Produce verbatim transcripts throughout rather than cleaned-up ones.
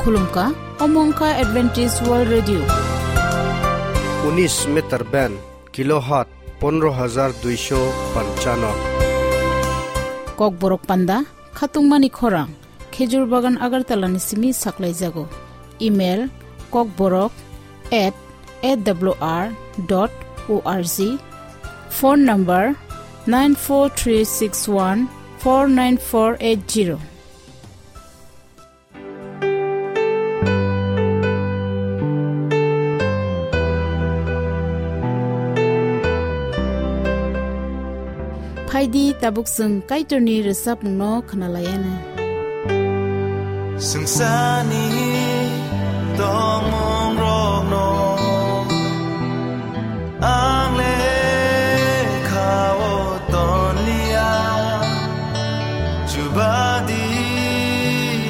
Khulumkha, omo wngkha Adventist World Radio. Unis meter band, kilohertz pondro hajar duisho panchano. Kokborok panda, khatungmani khorang, Khejur Bagan Agartala ni simi saklaijago. Email, kokborok at A W R dot O R G. Phone number, nine four three six one four nine four eight zero. Phaidi tabuk chwng Kaitorni rwchapmungno khwnalaianw. Swngcharni tongmungrokno ang lekhao tonliya, chubadi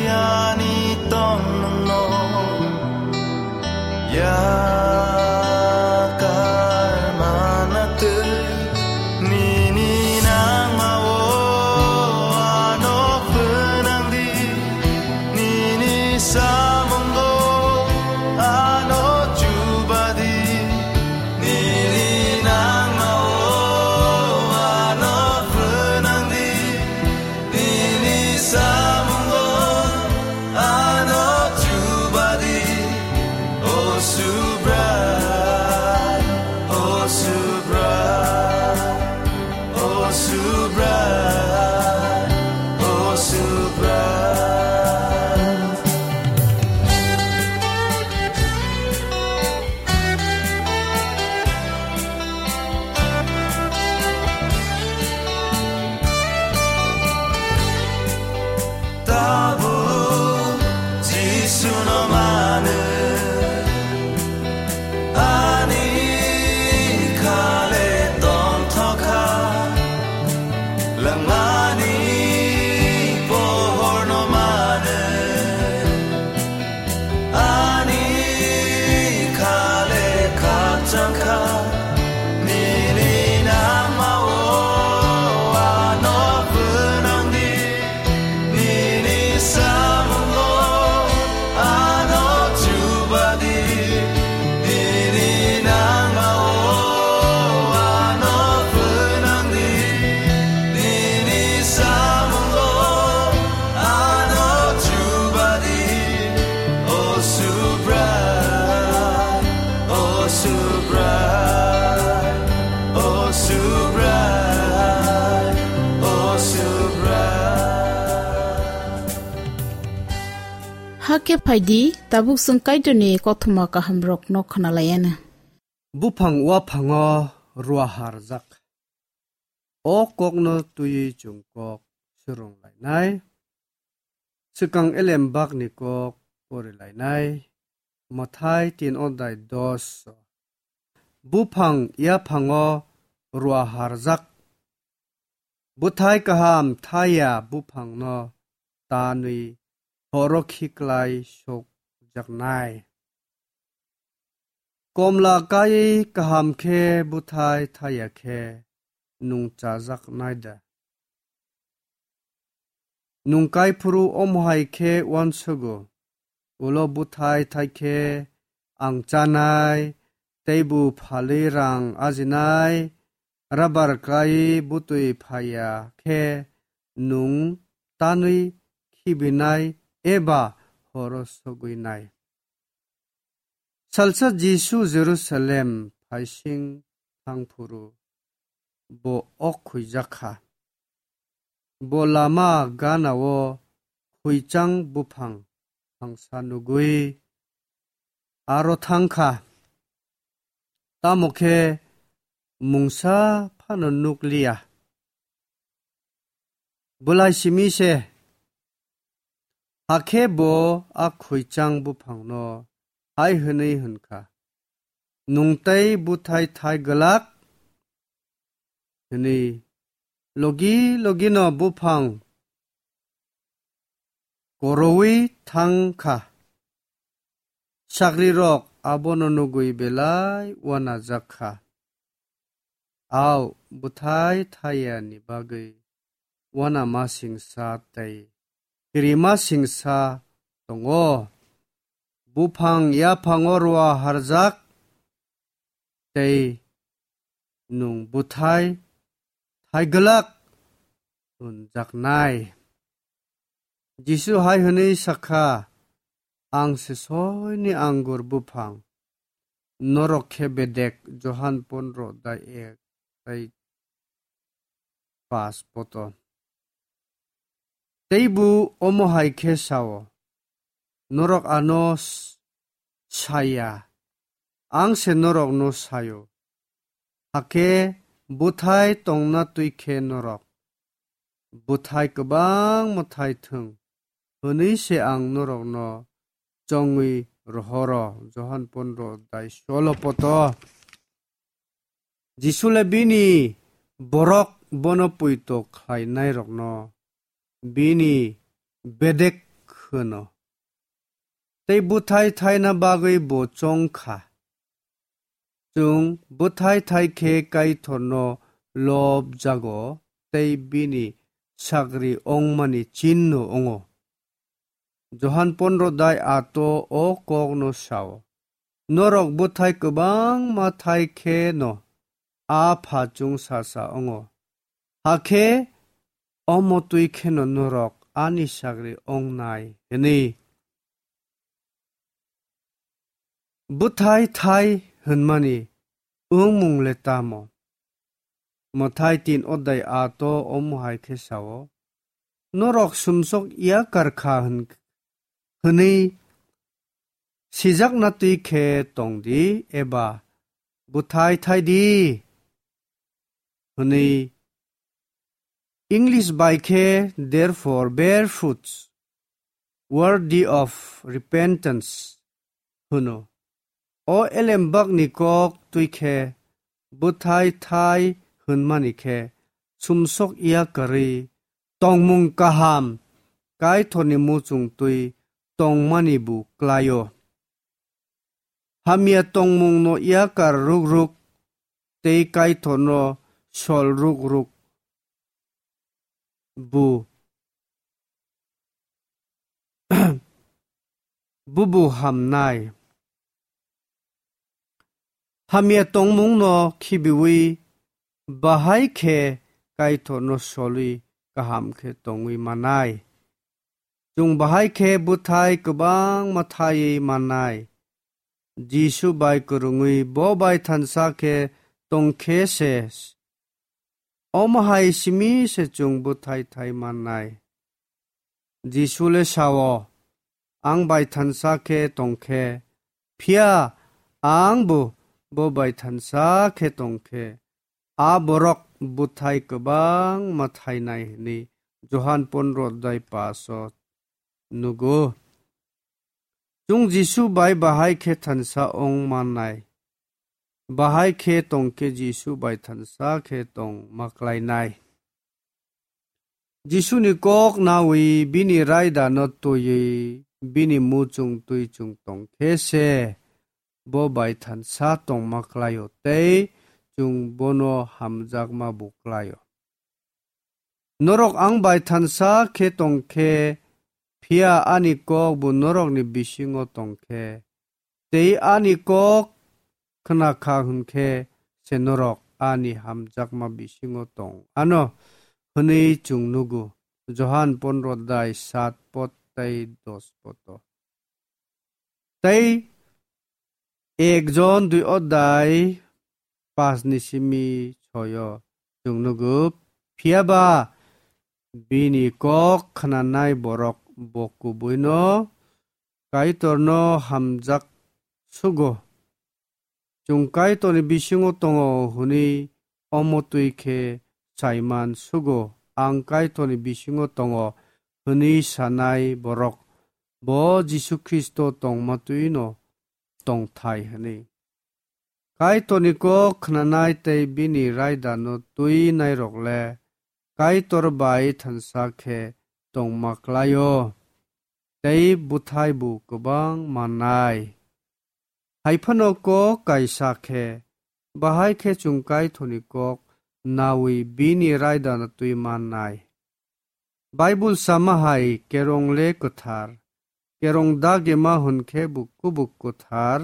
ani tongmungno yakar manatwi nini nangmao ano phnangdi, nini samungo ano chubadi, nini nangmao ano phnangdi, nini samungo ano chubadi. O Subrai, O Subrai, O Subrai, O Subrai. Tabuk Jisuno manwi ani khale tongthokha, langmani pohorno manwi ani khale khakchangkha, nini nangmao ano phnangdi, nini samungo ano chubadi, nini nangmao ano phnangdi, nini samungo ano chubadi. O Subrai, O Subrai, O Subrai, O Subrai. Hakhe phaidi, tabuk chwng Kaitorni kothoma kahamrokno khwnalaianw. Buphang uaphango ruaharjak. O kokno twiwi chwng kok swrwnglainai. Swkang elembakni kok porilainai. Mathai tin odai dos. Buphang yaphango ruaharjak. Bwthai kaham thaya buphangno tanwi horo khiklai sokjaknai. Komla kaiwi kaham khe bwthai thaya khe nung chajaknai da? Nung kaiphuru omo hai khe uansugo, ulo bwthai thai khe ang chanai, teibo phalwi rang ajinai, rabar kaiwi bwtwi phaiya khe nung tanwi khibinai eba horo sogwinai. Salsa Jisu Jerusalem phaising thangphuru bo ok khuijak kha. Bo lama gana-o khuichang buphang thangsa nugwi aro thang kha, tamo khe mungsa phano nuk liya. Bwlai simi se. Hakhe bo a khuichang buphangno hai hwnwi hwn kha, "Nwng tei bwthai thai glak," hwnwi. Logi logino buphang koroui thang kha. Sagrirok abono nugwi belai uanajak kha. Au bwthai thai yani bagwi uanamasingsa tei kirimasingsa tongo. buphang yaphango rua harjak, tei nwng bwthai thai glak hwnjaknai. Jisu hai hwnwi sakha, "Ang se soini anggur buphang, norok khe bedek." Johan pondro dai ek, tei pas poto. Tei bo omo hai khe sao, "Norok ano s-, saya, ang se norokno sayo. Hakhe bwthai tongna twi khe norok bwthai kwbangma thai thung, hwnwi se ang norokno chongwi rohoro." Johan pondro dai solo poto. Jisu le bini borok bono poito khlainairokno bini bedek hwno. Tei bwthai thaina bagwi bo chong kha. Chwng bwthai thai khe Kaitorno lob jago tei bini sagri ongmani chinno wngo. Johan pondro dai ato o kokno sao, "Norok bwthai kwbangma thai khe no a pha chwngsacha wngo. Hakhe omo twi kheno norok ani sagri ongnai," hwnwi. Bwthai thai hwnmani wngmung le tamo? Mwthai tin odai ato omo hai khe sao, "Norok sumsok yakar kha hwn-, hwnwi sijakna twi khe tong di, eba bwthai thai di," hwnwi. English bai khe, "Therefore bear fruits worthy of repentance," hwno. O elembakni kok twi khe bwthai thai hwnmani khe sumsok yakarwi tongmung kaham Kaitorni muchung twi tongmani bo klaio. Hamya tongmungno yakar ruk ruk tei Kaitorno sol ruk ruk bo, bubu hamnai. Hamya tongmungno khibiwi bahai khe Kaitorno solwi kaham khe tongwi manai. Chwng bahai khe bwthai kwbangma thaiwi mannai. Jisu bai kwrwngwi bo bai thansa khe tong khe se, omo hai simi se chwng bwthai thai mannai. Jisu le sao, "Ang bai thansa khe tong khe, phiya ang bo bo bai thansa khe tong khe, a borok bwthai kwbangma thainai," hwnwi Johan pondro dai paso nugo. Chwng Jisu bai bahai khe thansa ong mannai. Bahai khe tong khe Jisu bai thansa khe tong ma klainai. Jisuni kok nawi bini raidano twiwi bini muchung twi chwng tong khe se bo bai thansa tongma klaio tei chwng bono hamjakma bo klaio. Norok ang bai thansa khe tong khe, phiya ani kok bo norokni bisingo tong khe, tei ani kok khna kha hwn khe se norok ani hamjakma bisingo tong ano hwnwi chwng nugo. Johan pondro dai sat pot tei dos poto. Tei ek Jon dui odai pas ni simi soyo chwng nugo. Phiyaba bini kok khnanai borok bo kubuino Kaitorno hamjak sugo. Chwng Kaitorni bisingo tongo hwnwi omo twi khe saiman sugo, "Ang Kaitorni bisingo tongo," hwnwi sanai borok bo Jisu Khristo tongma twino tongthai hwnwi. Kaitorni kok khnanai tei bini raidano twi nairok le Kaitor bai thansa khe tongma klaio, tei bwthai bo kwbang mannai. Hai phano kok kaisa khe, bahai khe chwng Kaitorni kok nawi bini raidano twi mannai. Baibul sama hai kerong le kwthar, Kerong dagema hwn khe bo kubuk kwthar,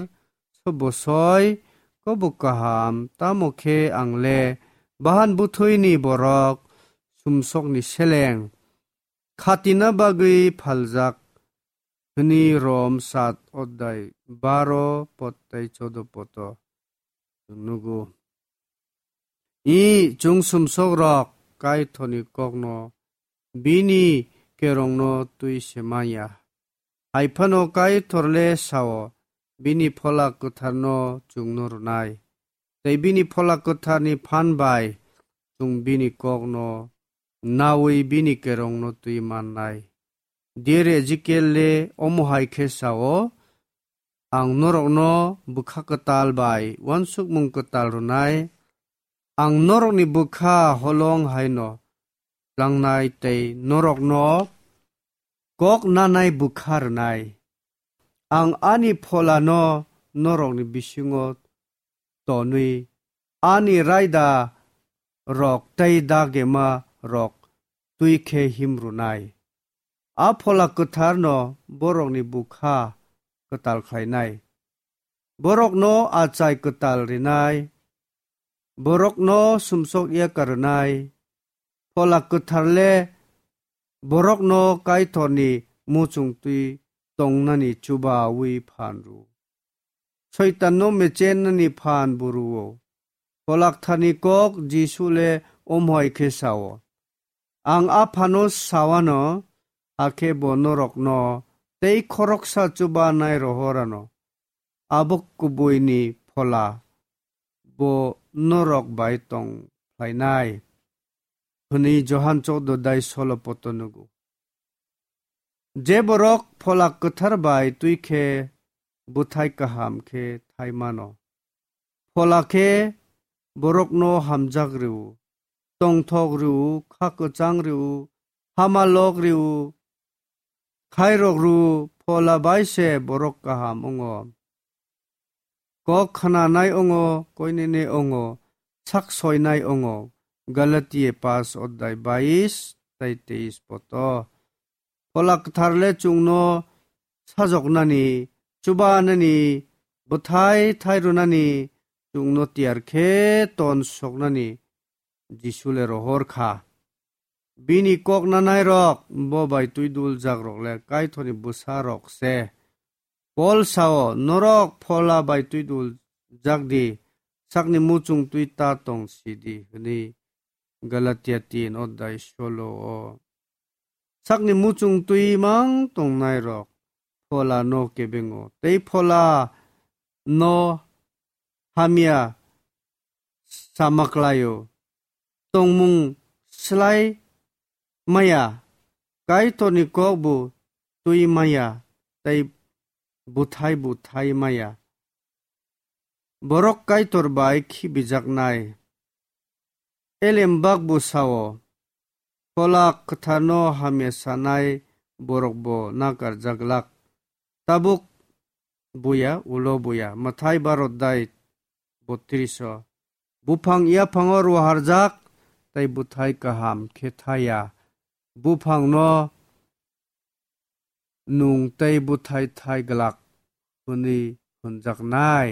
sobosoi, kubuk kaham, tamo khe ang le bahan bwthwini borok, sumsokni seleng, khatina bagwi phaljak, hwnwi Rom sat odai baro pot tei chodo poto chwng nugo. I chwng sumsok rok Kaitorni kokno bini kerongno twi se manya. Hai phano Kaitor le sao, bini Phola Kwtharno chwngno rwnai. Tei bini Phola Kwtharni phan bai chwng bini kokno naui bini kerongno twi mannai. Diari Ezekiel le omo hai khe sao, ang norokno bwkha kwtal bai uansukmung kwtal rwnai. Ang norokni bwkha holong haino tlangnai tei norokno kok nanai bwkha rwnai. Ang ani Pholano norokni bisingo tonwi ani raida rok tei dagema rok twi khe himrwnai. A Phola Kwtharno borokni bwkha kwtal khlainai. Borokno achai kwtal rinai. Borokno sumsok ya karwnai. Phola Kwthar le borokno Kaitorni muchung twi tongnani chubaui phan rw. Soitanno mechennani phan bo rw-o. Phola Kwtharni kok Jisu le omo hai khe sao, ang Aphano sawano, hakhe bo norokno tei khoroksa chubanai rohorano abo kubuini Phola bo norok bai tong phlainai, hwnwi Johan choudo dai solo poto nugo. Je borok Phola Kwthar bai twi khe bwthai kaham khe thai mano. Phola khe borokno hamjak rw-o, tongthok rw-o, kha kwchang rw-o, hama lok rw-o, khairok rw-o, Phola bai se borok kaham wngo. Kok khnanai wngo, koinene wngo, sak soinai wngo. Galatia pas odai bais tei teis poto. Phola Kwthar le chwngno sajoknani, chubanani, bwthai thai rwnani, chwngno tiyar khe ton soknani Jisu le rohor kha. Bini kok nanai rok bo bai twi dul jak rok le Kaitorni bwsa rok se. Pol sao, norok Phola bai twi dul jak di, sakni muchung twi ta tong si di, hwnwi Galatia tin odai solo o. Sakni muchung twi mang tongnai rok Phola no kebengo, tei Phola no hamya sama klaio. Tongmung slai maya, Kaitorni kok bo twi maya, tei bwthai bo thai maya. Borok Kaitor bai khibijaknai. Elembak bo sao, Phola Kwtharno hamya sanai borok bo nakar jaglak. Tabuk buya, ulo buya. Mathai baro dai botris o. Buphang yaphango ruharjak, tei bwthai kaham khe thaya. Buphangno nung tei bwthai thai glak hwnwi hwnjaknai.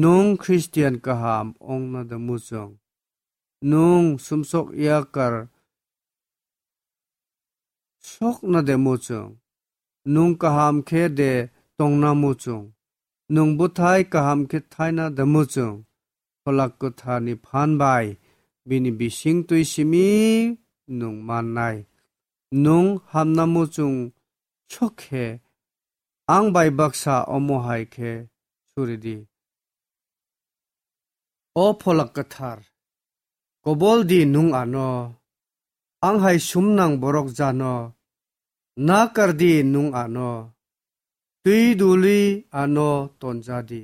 Nwng Khristian kaham wngna de muchung? Nwng sumsok yakar sokna de muchung? Nwng kaham khe de tongna muchung? Nwng bwthai kaham khe thaina de muchung? Phola Kwtharni phan bai bini bising twi simi nwng mannai. Nwng hamna muchung sok khe, ang bai baksa omo hai khe suri di. O Phola Kwthar, kobol di nwng ano, ang hai sumnang borok jano, nakar di nwng ano, twi duli ano tonja di,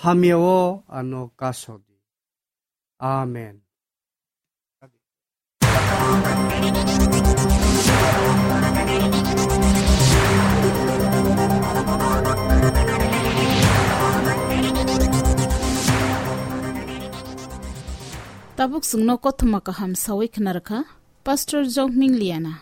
hamya o ano kaso di. Amen. Tabuk chwngno kothoma kaham sawi khna rwkha Pastor Jokming Liana.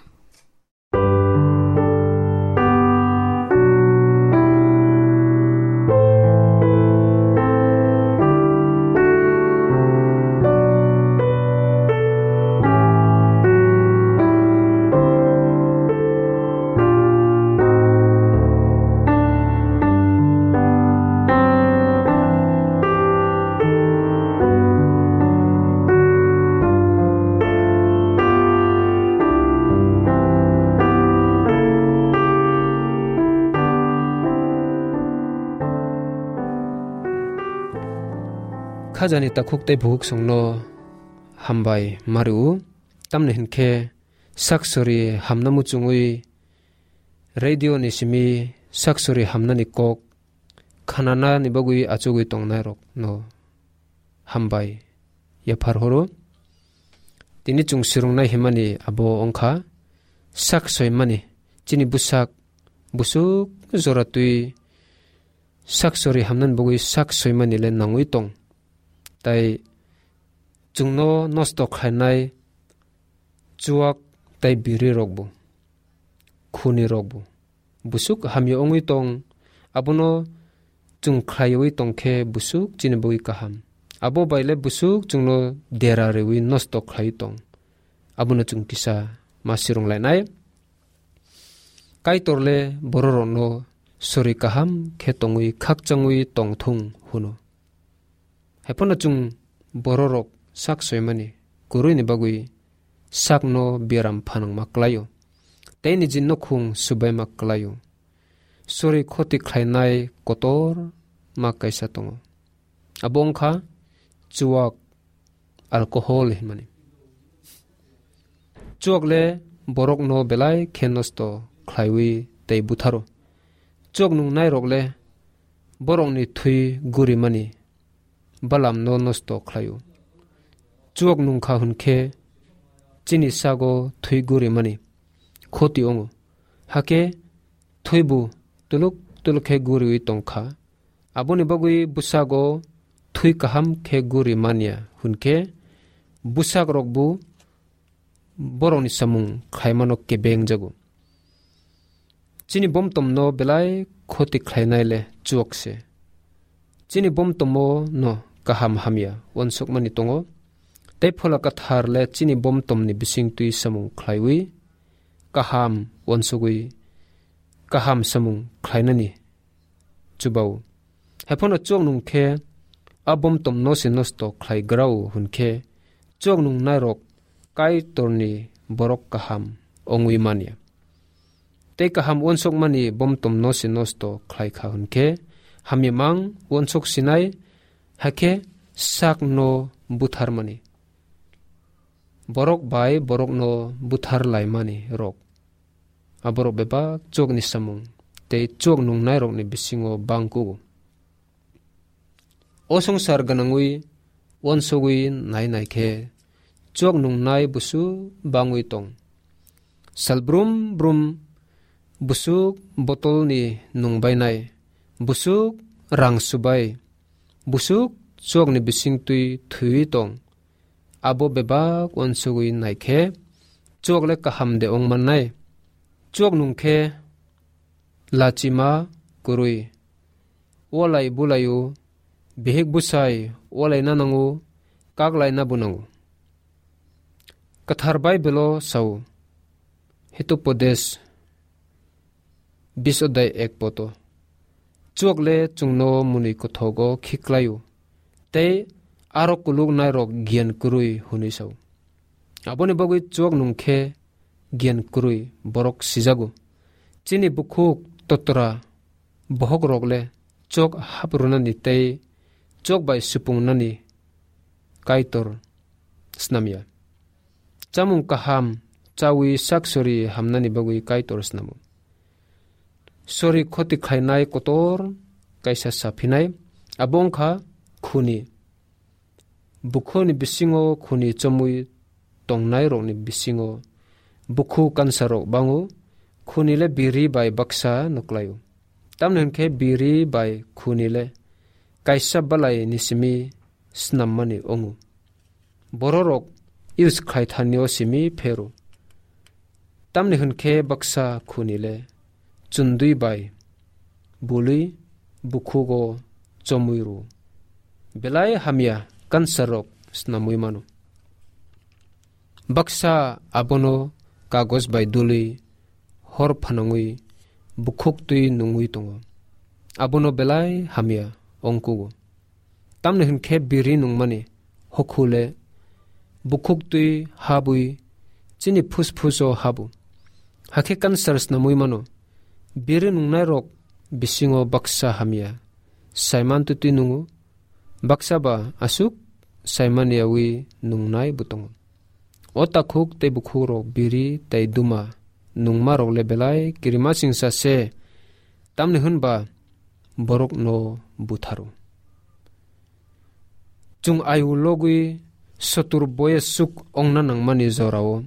Khajani takhuk tei bukhuk songno hambai mario. Tamni hinkhe sak sori hamna muchungwi radio ni simi sak sori hamnani kok khananani bagwi achugwi tongnairokno hambai yaphar horo. Tini chwng swrwngnai himani abo wngkha sak soimani, chini bwsak busuk jora twi sak sori hamnani bagwi sak soimani le nangwi tong. Tai chwngno nosto khlainai chuak tai biri rokbo, khuni rokbo busuk hamya wngwi tong. Abono chwng khlaiwi tong khe busuk chini bagwi kaham. Abo bai le busuk chwngno dera riwi nosto khlaiwi tong. Abono chwng kisa ma swrwnglainai. Kaitor le bororokno sori kaham khe tongwi khakchangwi tong thung hwno. Haiphano chwng bororok sak soimani kwrwini bagwi sakno biaram phanangma klaio, tei niji nukhung subaima klaio. Sori khoti khlainai kotor ma kaisa tongo. Abo wngkha chuak, alcohol hinmani. Chuak le borokno belai khe nosto khlaiwi tei butharo. Chuak nungnairok le borokni thwi gurimani balamno nosto khlaio. Chuak nungkha hwnkhe chini sago thwi gurimani khoti wngo. Hakhe thwibo tuluk tuluk khe guriwi tongkha. Aboni bagwi bwsago thwi kaham khe guri manya hwnkhe bwsakrokbo borokni samung khlaimano kebengjago. Chini bomtomno belai khoti khlainai le chuak se. Chini bomtomo no kaham hamya uansukmani tongo. Tei Phola Kwthar le chini bomtomni bisingtwi samung khlaiwi kaham uansugwi kaham samung khlainani chubao. Haiphano chuak nung khe a bomtomno se nosto khlai grao hwn khe chuak nungnairok Kaitorni borok kaham wngwi manya. Tei kaham uansukmani bomtomno se nosto khlai kha hwn khe hamya mang uansuk sinai, hakhe sakno butharmani. Borok bai borokno buthar laimani rok. Aborok bebak chuakni samung tei chuak nungnairokni bisingo bang kugo. O swngchar gwnangwi uansugwi nai nai khe chuak nungnai busu bangwi tong. Sal brum brum busuk botolni nungbainai, busuk rang subai, busuk chuakni bisingtwi thwiwi tong. Abo bebak uansugwi nai khe chuak le kaham de wng mannai. Chuak nung khe lachima kwrwi, walai bulaio, bihik bwsai walaina nango, kaklaina bo nango. Kwthar Baibelo sao, Hitopodesh bis odai ek poto, chuak le chwngno mwnwi kothogo khiklaio, tei aro kuluknairok giyan kwrwi hwnwi sao. Aboni bagwi chuak nung khe giyan kwrwi borok sijago. Chini bukhuk totra bohok rok le chok haprwnani tei chok bai supungnani Kaitor snamya. Chamung kaham chawi sak sori hamnani bagwi Kaitor snamo. Sori khoti khlainai kotor kaisa saphinai, abo wngkha khuni. Bukhuni bisingo khuni chomwi tongnairokni bisingo bukhu kansarok bango, khuni le biri bai baksa nuklaio. Tamni hwn khe biri bai khuni le kaisa balai ni simi snammani wngo. Bororok use khlai thani o simi phero. Tamni hwn khe baksa khuni le chundui bai bului bukhugo chomwi rw. Belai hamya kansarok snamwi mano. Baksa abono kagoj bai dului hor phanangwi bukhuk twi nungwi tongo. Abono belai hamya ongkugo. Tamni hwn khe biri nungmani hokhu le bukhuk twi habwi chini phusphus o habo. Hakhe kansar snamwi mano. Biri nungnairok bisingo baksa hamya Saiman twtwi nungo, Baksa ba aswk saimani yawi nungnai bo tongo. O takhuk tei bukhukrok biri tei duma nungmarok le belai kirimasingsa se, tamni hwn ba borokno butharo. Chwng ayu logwi sotur boyes suk ongna nangmani jorao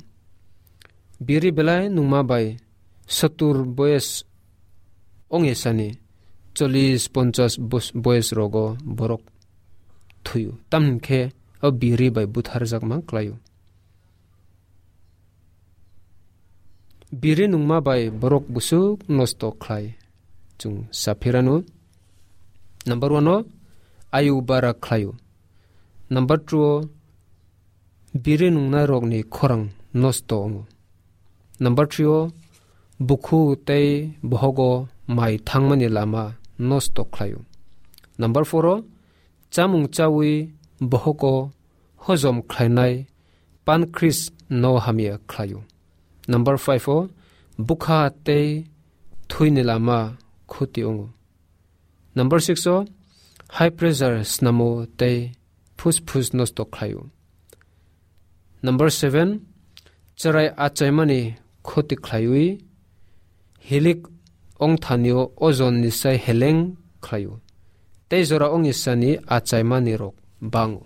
biri belai nungma bai sotur boyes ong esani, chollis ponchas bos-, boyes rogo borok thuyo. Tamni khe o biri bai butharjakma klaio. Biri nungma bai borok busuk nosto khlai. Chwng saphirano. Number one o ayu bara khlaio. Number two o biri nungnai rokni khorang nosto wngo. Number three o bukhu tei bohogo mai thangmani lama nosto khlaio. Number four o chamung chawi bohogo hojom khlainai pancreas no hamya khlaio. Number five o bukha tei thwini lama khuti wngo. Number six o high pressure snamo tei phusphus nosto khlaio. Number seven, chwrai achaimani khoti khlaiwi hilik ongthanio ojon nisai heleng khlaio. Tei jora ongisani achaimani rok bango.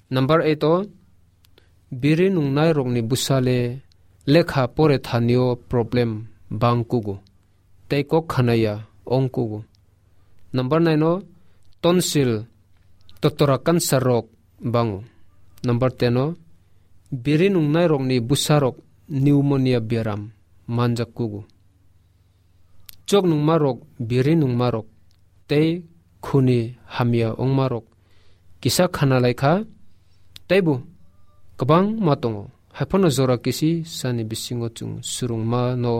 Number eight o biri nungnai rokni bwsale lekha pore thanio problem bang kugo. Tei kok khanaya ong kugo. Number nine o tonsil totora cancer rok bango. Number ten o biri nungnai rokni bwsa rok pneumonia beram manjak kugo. Chok nungma rok, biri nungma rok tei khuni hamya ongma rok kisa khana lai kha, teibo kwbangma tongo. Haiphano jora kisi sani bisingo chwng surungma no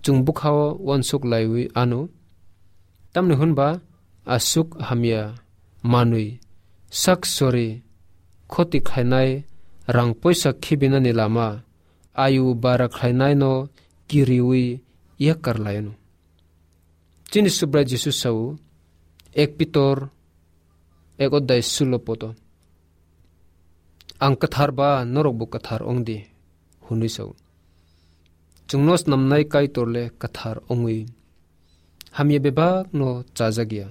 chwng bwkhao uansuk laiwi ano. Tamni hwnba aswk hamya manwi sak sori khoti khlainai rang poisa khibinani lama ayu bara khlainaino kiriwi yakar laino. Chini Subrai Jisu sao, ek Pitor ek odai sulo poto, "Ang kwthar ba norokbo kwthar ongdi," hwnwi sao. Chwngno snamnai Kaitor le kwthar ongwi hamya bebakno chajakya.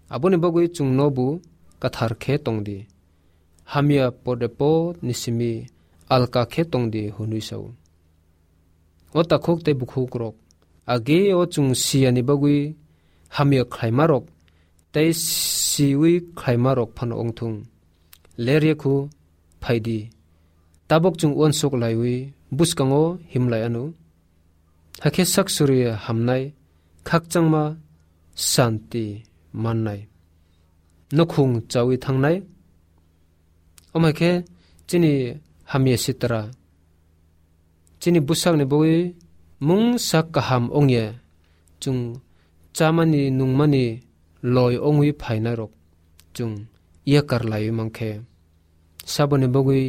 Aboni bagwi chwngnobo kwthar khe tongdi. Hamya pode pod ni simi alka khe tongdi hwnwi sao. O takhuk tei bukhukrok, age o chwng siyani bagwi hamya khlaimarok tei siwi khlaimarok phano wngthung. Ler ye khu phaidi. Tabuk chwng uansuk laiwi bwskango himlai anw. Hakhe sak suri hamnai, khakchangma santi mannai. Nukhung chawi thangnai. Omo hai khe chini hamya sitra, chini bwsakni bagwi mungsa kaham ongya, chwng chamani nungmani loi ongwi phainairok chwng yakar laiwi mankhe, saboni bagwi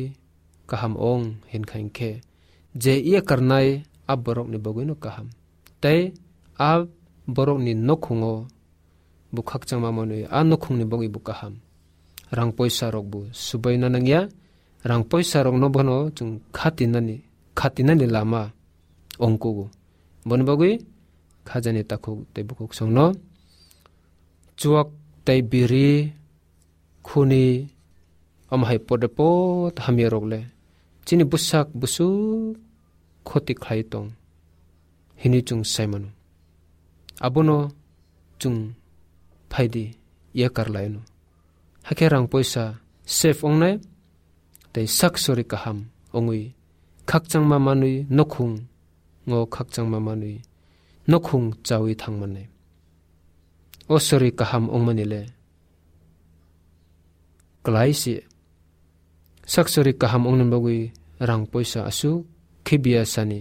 kaham ong hinkha hinkhe, je yakarnai a borokni bagwino kaham, tei a borokni nukhungo bo khakchangma manwi a nukhungni bagwi bo kaham. Rang poisa rok bo subaina nangya, rang poisa rokno bono chwng khatinani, khatinani lama ongkugo. Boni bagwi khajani takhuk tei bukhuk songno chuak tei biri khuni, omo hai pode pod hamya rok le chini bwsak bwswk khoti khlai tong hinwi chwng sai mano. Abono chwng phaidi yakar laino. Hakhe rang poisa save ongnai tei sak sori kaham ongwi khakchangma manwi nukhung ngo khakchangma manwi nukhung chawi thangmannai. O sori kaham ongmani le kwlai se. Sak sori kaham ongni bagwi rang poisa aswk khibiya sani.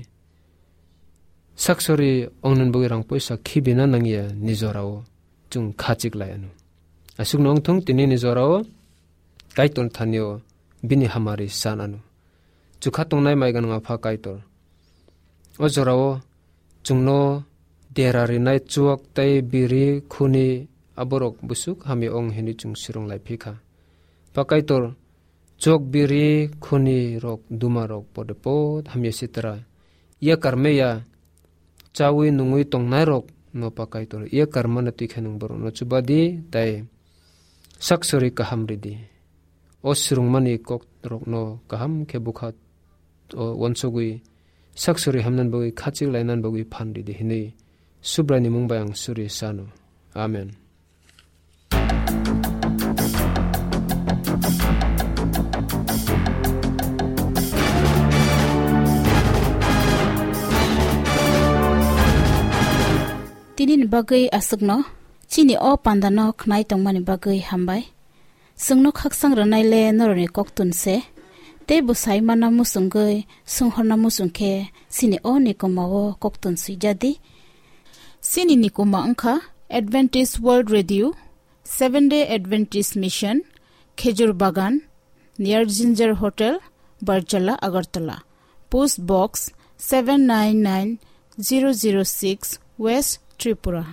Sak sori ongni bagwi rang poisa khibina nangya ni jorao chwng khachik lai anw. Aswkno wngthung tini ni jorao Kaitor thanio bini hamari san anw. Chukha tongnai mai gwnang Apha Kaitor. O jorao chwngno dera rinai chuak tei biri khuni aborok busuk hamya ong hinwi chwng swrwng lai phi kha. Pakaitor chok biri khuni rok duma rok pode pod hamya sitra yakar meya chawi nungwi tongnai rok no Pakaitor yakar mana twi khe nwng borok no chubadi tai saksori kaham ridi. O swrwngmani kok rok no kaham khe bukha o wansugwi saksori hamnan bagwi khachik lainan bagwi phan ridi hinwi Subraini mung bai ang suri sano. Amen. Tini ni bagwi aswkno, chini o panda no khnai tongmani bagwi hambai. Chwngno khaksang rwnai le norokni koktun se, tei bwsai mana muchungwi swnghorna muchung khe chini o nikoma o koktun swijadi. Chini nikoma wngkha Adventist World Radio, Seven Day Adventist Mission, Khejur Bagan, near Ginger Hotel, Barjala, Agartala. Post Box seven nine nine zero zero six, West Tripura.